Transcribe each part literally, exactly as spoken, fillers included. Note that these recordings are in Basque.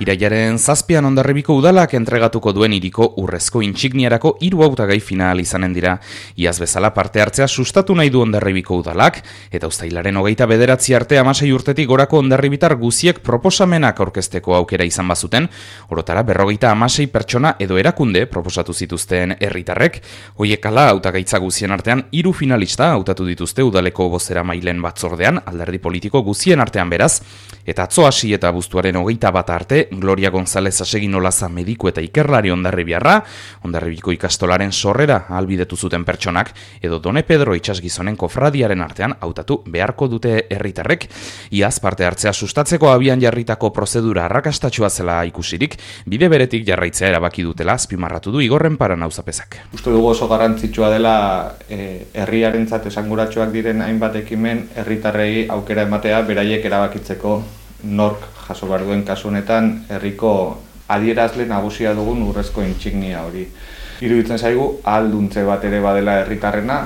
Irailaren zazpian Hondarribiko udalak entregatuko duen hiriko urrezko intsigniarako hiru hautagai final izanen dira. Iaz bezala parte hartzea sustatu nahi du Hondarribiko udalak, eta uztailaren hogeita bederatzi arte hamasei urtetik gorako hondarribitar guziek proposamenak aurkezteko aukera izan bazuten, orotara berrogeita hamasei pertsona edo erakunde proposatu zituzten herritarrek, hoiek ala hautagaitza guzien artean hiru finalista hautatu dituzte udaleko bozeramaileen batzordean, alderdi politiko guzien artean beraz, eta atzo hasi eta abuztuaren hogeita bat arte, Gloria González Asegin Olaza mediku eta ikerlari Hondarribiarra, Hondarribiko ikastolaren sorrera ahalbidetu zuten pertsonak, edo Done Pedro itsasgizonen kofradiaren artean hautatu beharko dute herritarrek. Iaz parte hartzea sustatzeko abian jarritako prozedura arrakastatsua zela ikusirik, bide beretik jarraitzea erabaki dutela azpimarratu du Igorren Paran auzapezak. Uste dugu oso garrantzitsua dela eh, herriarentzat esanguratsuak diren hainbat ekimen herritarrei aukera ematea beraiek erabakitzeko nork jaso behar duen kasu honetan herriko adierazle nagusia dugun urrezko intsignia hori. Iruditzen zaigu ahalduntze bat ere badela herritarrena,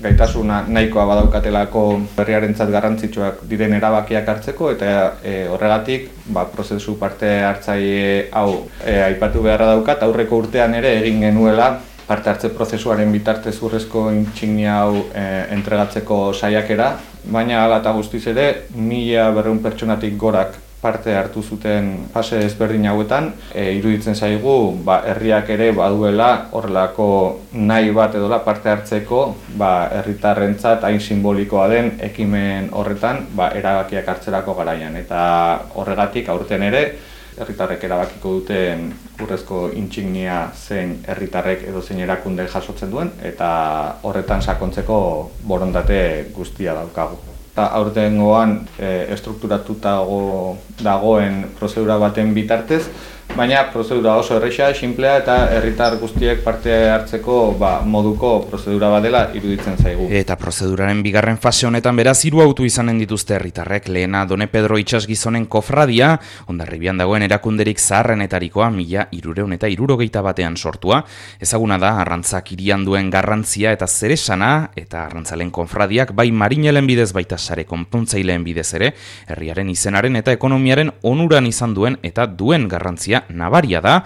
gaitasuna nahikoa badaukatelako herriarentzat garrantzitsuak diren erabakiak hartzeko eta e, horregatik ba, prozesu parte hartzaile hau e, aipatu beharra daukat, aurreko urtean ere egin genuela parte hartze prozesuaren bitartez urrezko intsignia hau e, entregatzeko saiakera, baina hala eta guztiz ere mila berrehun pertsonatik gorak parte hartu zuten fase ezberdin hauetan, e, iruditzen zaigu ba, herriak ere baduela horrelako nahi bat edola parte hartzeko ba, herritarrentzat hain simbolikoa den ekimen horretan ba, erabakiak hartzerako garaian. Eta horregatik aurten ere herritarrek erabakiko duten urrezko intsignia zein herritarrek edo zein erakunde jasotzen duen eta horretan sakontzeko borondate guztia daukagu. Eta aurtengoan e, estrukturatuta dagoen prozedura baten bitartez, baina prozedura oso erresa, sinplea eta herritar guztiek parte hartzeko ba, moduko prozedura bat dela iruditzen zaigu. Eta prozeduraren bigarren fase honetan beraz hiru autu izanen dituzte herritarrek, lehena Done Pedro itsasgizonen kofradia, Hondarribian dagoen erakunderik zaharrenetarikoa mila hirurehun eta hirurogeita batean sortua, ezaguna da arrantzak hirian duen garrantzia eta zeresana, eta arrantzalen konfradiak bai marinelen bidez baita sare konpontzaileen bidez ere, herriaren izenaren eta ekonomiaren onuran izan duen eta duen garrantzia nabaria da.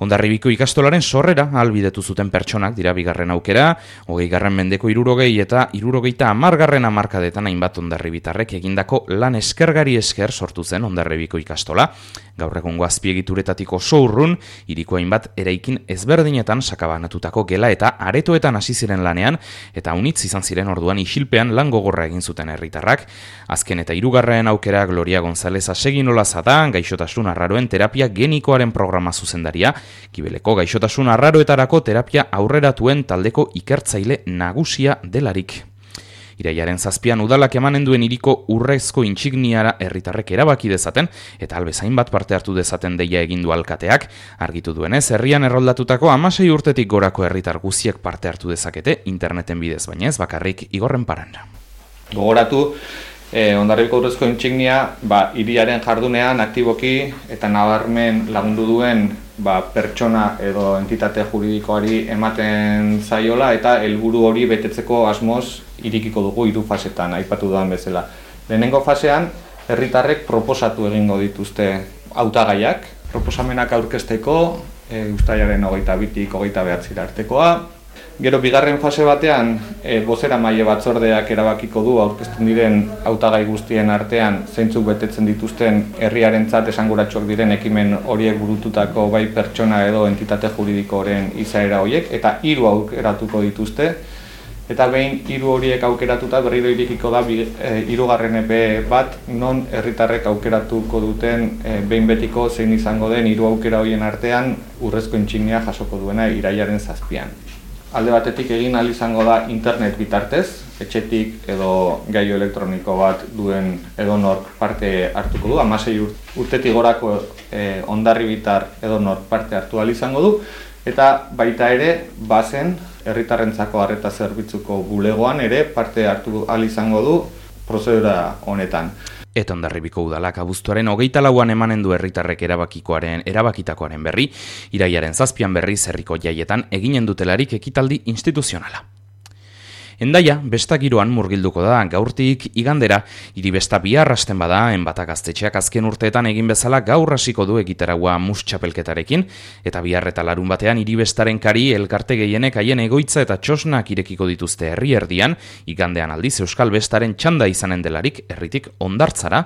Hondarribiko ikastolaren sorrera ahalbidetu zuten pertsonak dira bigarren aukera, hogeigarren mendeko hirurogei eta hirurogeita hamargarren hamarkadetan hainbat hondarribitarrek egindako lan eskergari esker sortu zen Hondarribiko ikastola. Gaur egungo azpiegituretatik oso urrun, hiriko hainbat eraikin ezberdinetan sakabanatutako gela eta aretoetan hasi ziren lanean, eta unitz izan ziren orduan isilpean lan gogorra egin zuten herritarrak. Azken eta hirugarren aukera Gloria González Asegin Olaza da, gaixotasun arraroen terapia genikoaren programa zuzendaria, Kibeleko gaixotasun arraroetarako terapia aurreratuen taldeko ikertzaile nagusia delarik. Irailaren zazpian udalak emanen duen hiriko urrezko intsigniara herritarrek erabaki dezaten eta albezain bat parte hartu dezaten deia egin du alkateak, argitu duenez herrian erroldatutako hamasei urtetik gorako herritar guziek parte hartu dezakete interneten bidez, baina ez bakarrik Igorren Paran. Gogoratu, eh, Hondarribiko urrezko intsignia ba, hiriaren jardunean aktiboki eta nabarmen lagundu duen ba, pertsona edo entitate juridikoari ematen zaiola eta helburu hori betetzeko asmoz irikiko dugu hiru fasetan, aipatu dudan bezala. Lehenengo fasean, herritarrek proposatu egingo dituzte hautagaiak, proposamenak aurkezteko, e, uztailaren hogeita bitik hogeita bederatzira artekoa. Gero bigarren fase batean, e, bozeramaile batzordeak erabakiko du aurkezten diren hautagai guztien artean zeintzuk betetzen dituzten herriarentzat esanguratsuak diren ekimen horiek burututako bai pertsona edo entitate juridikoren izaera horiek, eta hiru aukeratuko dituzte. Eta behin hiru horiek aukeratuta berriro irikiko da hirugarren epe bat non herritarrek aukeratuko duten e, behin betiko zein izango den hiru aukera horien artean urrezko intsignia jasoko duena irailaren zazpian. Alde batetik egin ahal izango da internet bitartez, etxetik edo gailu elektroniko bat duen edonork parte hartuko du, hamasei urtetik gorako e, hondarribitar edonork parte hartu ahal izango du, eta baita ere bazen herritarrentzako arreta zerbitzuko bulegoan ere parte hartu ahal izango du prozedura honetan. Eta Hondarribiko udalak abuztuaren hogeita lauan emanen du herritarrek erabakikoaren erabakitakoaren berri, irailaren zazpian berriz herriko jaietan eginen dutelarik ekitaldi instituzionala. Hendaia, besta giroan murgilduko da, gaurtik igandera, hiri besta bihar hasten bada, enbata gaztetxeak azken urteetan egin bezala gaur hasiko du egitaragua mus txapelketarekin, eta bihar eta larun batean hiri bestaren kari elkarte gehienek haien egoitza eta txosnak irekiko dituzte herri erdian, igandean aldiz Euskal Bestaren txanda izanen delarik herritik hondartzara.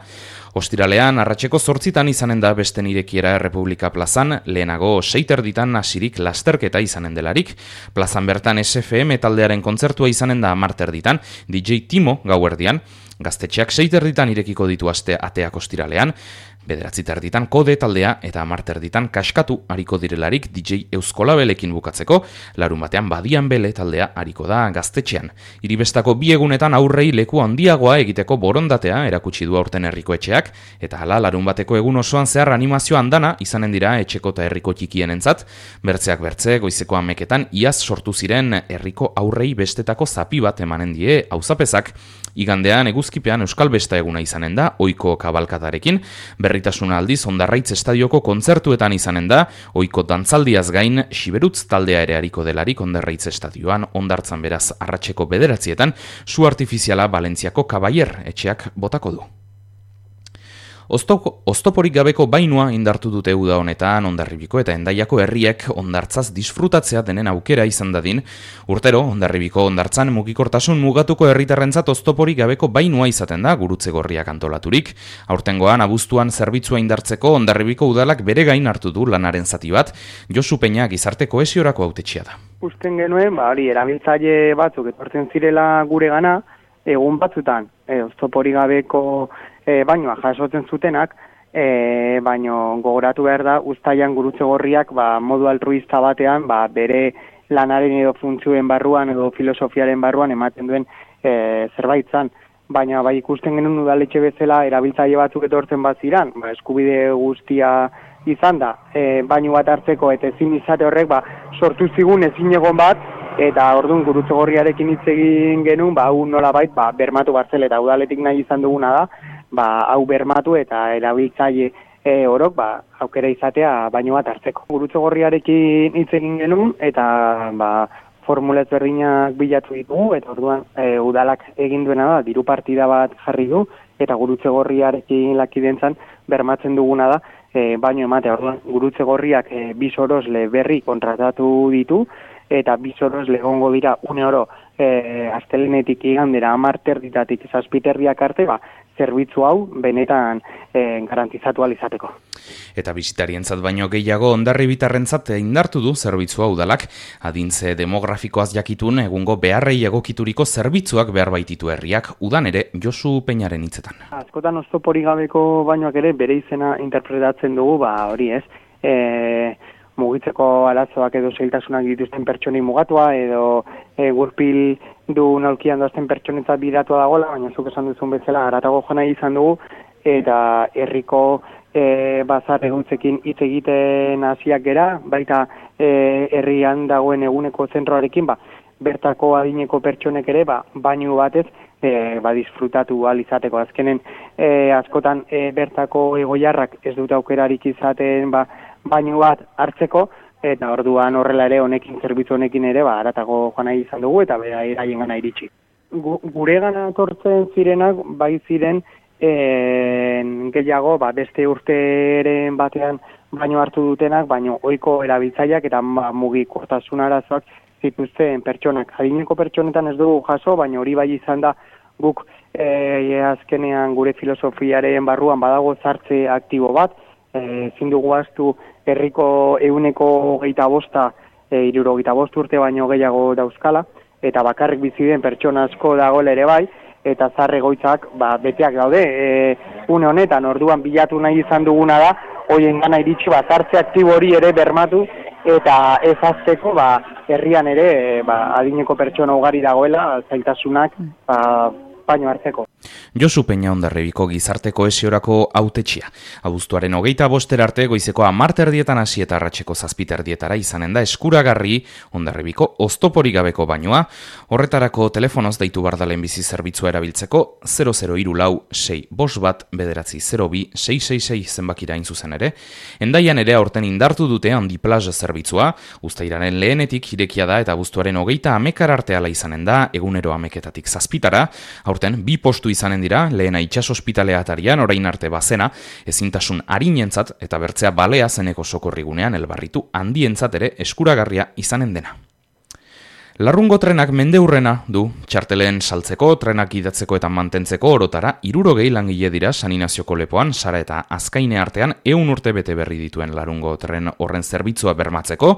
Ostiralean, arratseko zortzitan izanen da besten irekiera Errepublika plazan, lehenago seiterditan hasirik lasterketa izanen delarik. Plazan bertan S F M taldearen kontzertua izanen da amarterditan, D J Timo gauerdian, gaztetxeak seiterditan irekiko ditu aste ateak ostiralean, bederatzi terditan kode taldea eta amarterditan kaskatu hariko direlarik D J Euskolabelekin bukatzeko, larun batean badian bele taldea hariko da gaztetxean. Hiribestako bi egunetan aurrei leku handiagoa egiteko borondatea erakutsi du aurten herriko etxeak, eta hala larun bateko egun osoan zehar animazio andana izanen dira etxeko eta herriko txikienentzat, bertzeak bertze goizeko hameketan iaz sortu ziren herriko aurrei bestetako zapi bat emanen die auzapezak. Igandean eguzkipean Euskal Besta eguna izanen da, ohiko kabalkadarekin, berritasuna aldiz Hondarraitz estadioko kontzertuetan izanen da, ohiko dantzaldiaz gain Xiberutz taldea ere hariko delarik Hondarraitz estadioan, hondartzan beraz arratseko bederatzietan, su artifiziala Valentziako Kabaier etxeak botako du. Oztop, oztoporik gabeko bainua indartu dute uda honetan Hondarribiko eta Hendaiako herriek hondartzaz disfrutatzea denen aukera izan dadin. Urtero, Hondarribiko hondartzan mugikortasun mugatuko herritarrentzat oztoporik gabeko bainua izaten da gurutze gorriak antolaturik. Aurtengoan abuztuan zerbitzua indartzeko Hondarribiko udalak bere gain hartu du lanaren zati bat, Josu Peña gizarte kohesiorako hautetxea da. Usten genuen, ba, hori, erabiltzaile batzuk etortzen zirela gure gana, egun batzutan, e, oztoporik gabeko E, bainoa jasotzen zutenak, e, baino gogoratu behar da, uztailan gurutze gorriak ba, modu altruista batean ba, bere lanaren edo funtzioen barruan edo filosofiaren barruan ematen duen e, zerbait zan. Baina bai ikusten genuen udaletxe bezala erabiltzaile batzuk etortzen bat ziran, ba, eskubide guztia izan da, e, baino bat hartzeko eta ezin izate horrek ba, sortu zigun ezin egon bat, eta orduan gurutze gorriarekin hitz egin genuen, ba, hau nolabait ba, bermatu barzel eta udaletik nahi izan duguna da, ba, hau bermatu eta erabiltzaile e, orok ba, aukera izatea baino bat hartzeko. Gurutze gorriarekin hitz egin genuen eta ba, formula ezberdinak bilatu ditugu eta orduan e, udalak egin duena da, diru partida bat jarri du eta gurutze gorriarekin lakidentzan bermatzen duguna da e, baino ematea. Orduan gurutze gorriak e, bi sorosle berri kontratatu ditu eta bi sorosle egongo dira une oro e, astelehenetik igandera amarterditatik zazpiterriak arte ba, zerbitzu hau benetan e, garantizatu ahal izateko. Eta bisitarientzat baino gehiago Hondarribitarrentzat indartu du zerbitzu hau udalak, adintze demografikoaz jakitun egungo beharrei egokituriko zerbitzuak behar baititu herriak, udan ere Josu Peñaren hitzetan. Askotan oztoporik gabeko bainoak ere bere izena interpretatzen dugu, ba hori ez, e, mugitzeko arazoak edo zailtasunak dituzten pertsonei mugatua edo e, gurpil du nolkian doazten pertsonetzat bidatua dagoela, baina zuk esan duzun bezala haratago jona izan dugu eta herriko e, bazar eguntzekin hitz egiten hasiak gera, baita e, herrian dagoen eguneko zentroarekin, ba, bertako adineko pertsonek ere ba, bainu batez e, ba, disfrutatu ahal izateko. Azkenen e, askotan e, bertako egoiarrak ez dute aukerarik izaten ba, bainu bat hartzeko, eta orduan horrela ere honekin, zerbitzu honekin ere, ba, haratago joan nahi izan dugu, eta bera eraien gana iritsi. Gu, gure gana tortzen zirenak, bai ziren, en, gehiago, ba, beste urteren batean baino hartu dutenak, baino ohiko erabiltzaileak eta ba, mugikortasun arazoak zituzten pertsonak. Adineko pertsonetan ez dugu jaso, baina hori bai izan da guk e, azkenean gure filosofiaren barruan badago zartze aktibo bat, ezin dugu ahaztu herriko ehuneko geita bosta, e, hirurogeita bost urte baino gehiago dauzkala, eta bakarrik bizi den pertsona asko dagoela ere bai, eta zahar egoitzak ba, beteak daude. E, une honetan, orduan bilatu nahi izan duguna da, hoien gana iritsi ba, zartze aktibo hori ere bermatu, eta ez azteko ba, herrian ere ba, adineko pertsona ugari dagoela, zailtasunak ba, baino hartzeko. Josu Peña Hondarribiko gizarte kohesiorako hautetxia. Abuztuaren hogeita boster arte goizeko hamar erdietan hasi eta arratseko zazpi erdietara izanen da eskuragarri Hondarribiko oztoporik gabeko bainoa. Horretarako telefonoz deitu bar da lehenbizi zerbitzua erabiltzeko zero zero hiru lau sei bost bat bederatzi zero bi sei sei sei zenbakira hain zuzen ere. Hendaian ere aurten indartu dute handi plaza zerbitzua, uztailaren lehenetik irekia da eta abuztuaren hogeita hamekar arte ala izanen da, egunero hameketatik zazpitara. Aurten bi postu izanen dira, lehena itxas ospitalea atarian, orain arte bazena, ezintasun arinentzat eta bertzea balea zeneko sokorrigunean elbarritu handientzat ere eskuragarria izanen dena. Larrungo trenak mendeurrena du, txartelen saltzeko, trenak idatzeko eta mantentzeko orotara, hirurogei langile dira San Inazioko lepoan, Sara eta Azkaine artean, ehun urte bete berri dituen larungo tren horren zerbitzua bermatzeko.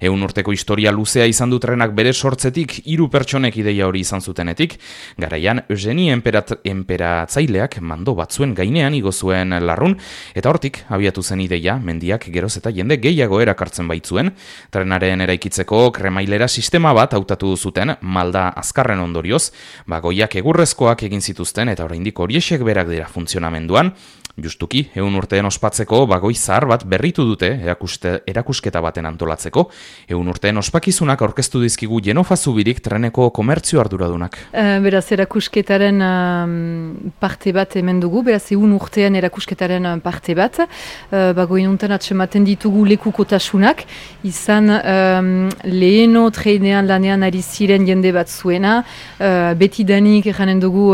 Ehun urteko historia luzea izan du trenak bere sortzetik, hiru pertsonek ideia hori izan zutenetik, garaian Eugenie Emperat, Emperatzaileak mando batzuen gainean igo zuen larrun, eta hortik abiatu zen ideia, mendiak geroz eta jende gehiago erakartzen baitzuen, trenaren eraikitzeko kremailera sistema bat hautatu zuten malda azkarren ondorioz, bagoiak egurrezkoak egin zituzten eta oraindik horiexek berak dira funtzionamenduan. Justuki, ehun urteen ospatzeko bagoi zahar bat berritu dute erakuste, erakusketa baten antolatzeko. Ehun urteen ospakizunak aurkeztu dizkigu Jenofa Zubirik treneko komertzio arduradunak. Uh, beraz, erakusketaren uh, parte bat hemen dugu, beraz, ehun urtean erakusketaren parte bat. Uh, bagoi nuntan atsematen ditugu lekukotasunak, izan um, leheno trenean lanean ari ziren jende bat zuena, uh, betidanik eranen dugu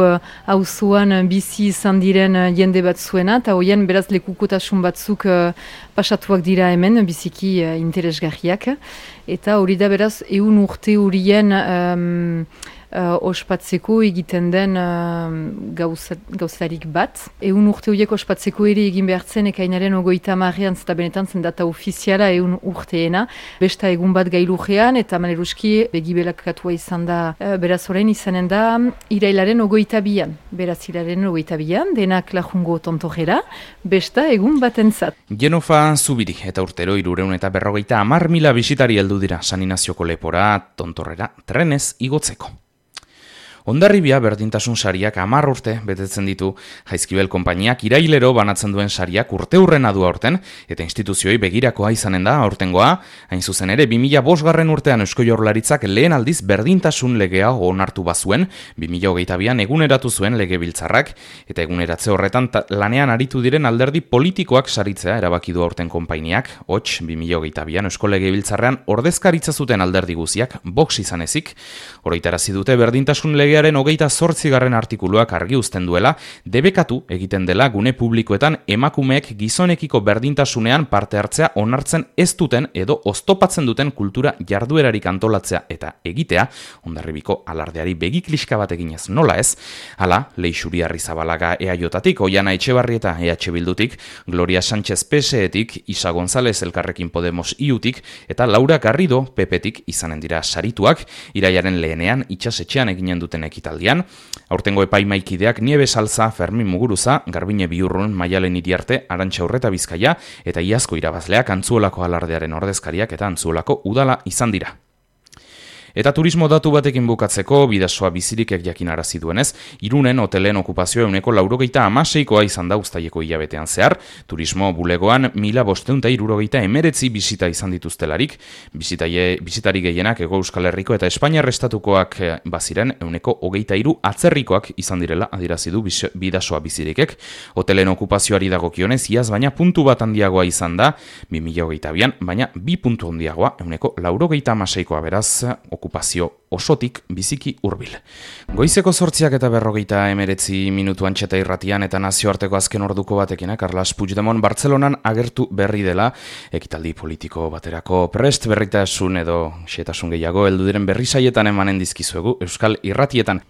auzoan uh, bizi izan diren uh, jende bat zuena, eta hoian beraz lekukotasun batzuk uh, pasatuak dira hemen, biziki uh, interesgarriak. Eta hori da beraz, ehun urte horien um, uh, ospatzeko egiten den uh, gauzarik bat. Ehun urte horiek ospatzeko ere egin behartzen ekainaren ogoita hamarrean, zeta benetan zen data ofiziala ehun urteena. Besta egun bat gailujean, eta maneruski begibelakatua izan da, uh, beraz orain izanen da irailaren ogoita bian. Beraz irailaren ogoita bian, denak lajungo tontojera, besta egun batentzat. Jenofa Zubiri eta urtero hirurehun eta berrogeita hamar mila bisitari heldu dira San Inazioko lepora tontorrera trenez igotzeko. Hondarribia berdintasun sariak hamar urte betetzen ditu. Jaizkibel konpainiak irailero banatzen duen sariak urte hurrena du aurten, eta instituzioi begirakoa izanen da aurtengoa. Hain zuzen ere, bi mila bosgarren urtean Eusko Jaurlaritzak lehen aldiz berdintasun legea onartu bazuen, bi mila hogeita bian eguneratu zuen legebiltzarrak, eta eguneratze horretan lanean aritu diren alderdi politikoak saritzea erabaki du aurten konpainiak. Hots, bi mila hogeita bian Eusko Legebiltzarrean ordezkaritza zuten alderdi guziak, Vox izan ezik, oroitarazi dute berdintasun legea hogeita zortzigarren artikuluak argi uzten duela, debekatu egiten dela gune publikoetan emakumeek gizonekiko berdintasunean parte hartzea onartzen ez duten edo oztopatzen duten kultura jarduerarik antolatzea eta egitea, Hondarribiko alardeari begikliska bat eginez nola ez, hala, Leixuri Arrizabalaga E A J-tatik, Oiana Etxebarrieta E H Bildutik, Gloria Sánchez P S E-tik, Isa González Elkarrekin Podemos I U-tik, eta Laura Garrido P P-tik izanen dira sarituak, irailaren lehenean itxasetxean eginen duten ekitaldian. Aurtengo epaimaikideak Niebe Salza, Fermin Muguruza, Garbine Biurrun, Maialen Iriarte, Arantxa Urreta Bizkaia eta iazko irabazleak Antzuolako alardearen ordezkariak eta Antzuolako udala izan dira. Eta turismo datu batekin bukatzeko, Bidasoa Bizirikek jakinarazi duenez, Irunen hotelen okupazioa ehuneko laurogeita hamaseikoa izan da uztaileko hilabetean zehar, turismo bulegoan mila bostehun eta hirurogeita hemeretzi bisita izan dituztelarik, bisitaie, bisitari gehienak Hego Euskal Herriko eta Espainiar estatukoak baziren ehuneko hogeita hiru atzerrikoak izan direla adierazi du Bidasoa Bizirikek. Hotelen okupazioari dagokionez, iaz baina puntu bat handiagoa izan da, bi mila hogeita bian, baina bi puntu handiagoa ehuneko laurogeita hamaseikoa beraz, okupazio osotik biziki hurbil. Goizeko zortziak eta berrogeita emeretzi minutu antxeta irratian eta nazioarteko azken orduko batekin, Carles Puigdemont Bartzelonan agertu berri dela, ekitaldi politiko baterako prest berritasun edo xetasun gehiago heldu diren berri saietan emanen dizkizuegu Euskal Irratietan.